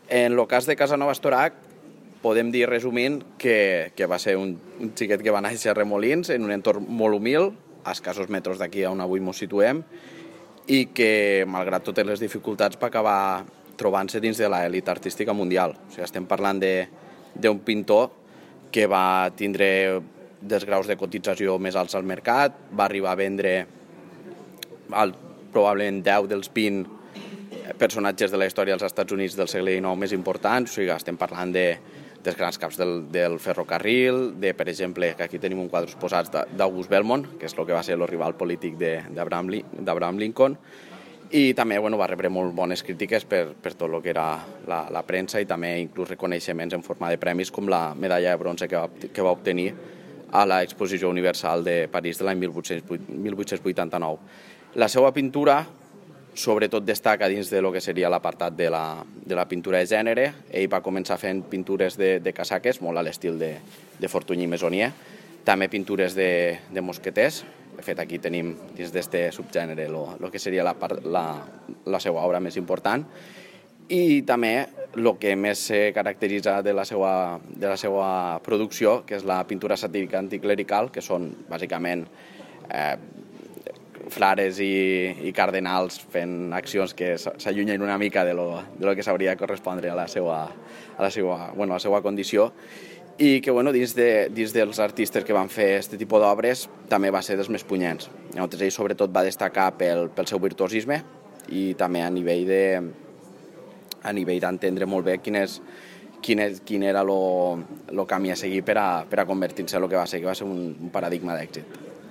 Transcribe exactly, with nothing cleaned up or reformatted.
En el cas de Casanova Estorac, podem dir, resumint, que, que va ser un, un xiquet que va néixer a Remolins, en un entorn molt humil, a escassos metres d'aquí on avui ens situem, i que, malgrat totes les dificultats, va acabar trobant-se dins de l'elit artística mundial. O sigui, estem parlant d'un pintor que va tindre dels graus de cotització més alts al mercat, va arribar a vendre el, probablement deu dels vint personatges de la història dels Estats Units del segle dinou més importants. O sigui, estem parlant de, dels grans caps del, del ferrocarril, de, per exemple, que aquí tenim un quadre posats d'August Belmont, que és el que va ser el rival polític d'Abraham Lincoln, i també bueno, va rebre molt bones crítiques per, per tot el que era la, la premsa i també inclús reconeixements en forma de premis com la medalla de bronze que va, que va obtenir a l'Exposició Universal de París de l'any mil vuit-cents vuitanta-nou. La seva pintura sobretot destaca dins de lo que seria l'apartat de, la, de la pintura de gènere. Ell va començar fent pintures de, de casaques, molt a l'estil de, de Fortuny i Meissonier, també pintures de, de mosqueters. De fet, aquí tenim dins d'aquest subgènere el que seria la, la, la seva obra més important. I també el que més se caracteritza de la seva, de la seva producció, que és la pintura satírica anticlerical, que són bàsicament eh, frares i, i cardenals fent accions que s'allunyen una mica de lo, de lo que s'hauria de correspondre a la seva, a la seva, bueno, a la seva condició, i que bueno, dins, de, dins dels artistes que van fer aquest tipus d'obres també va ser dels més punyents. Llavors, ell sobretot va destacar pel, pel seu virtuosisme i també a nivell de a nivell d'entendre molt bé quin, és, quin, és, quin era el camí a seguir per a, per a convertir-se en el que va ser, que va ser un, un paradigma d'èxit.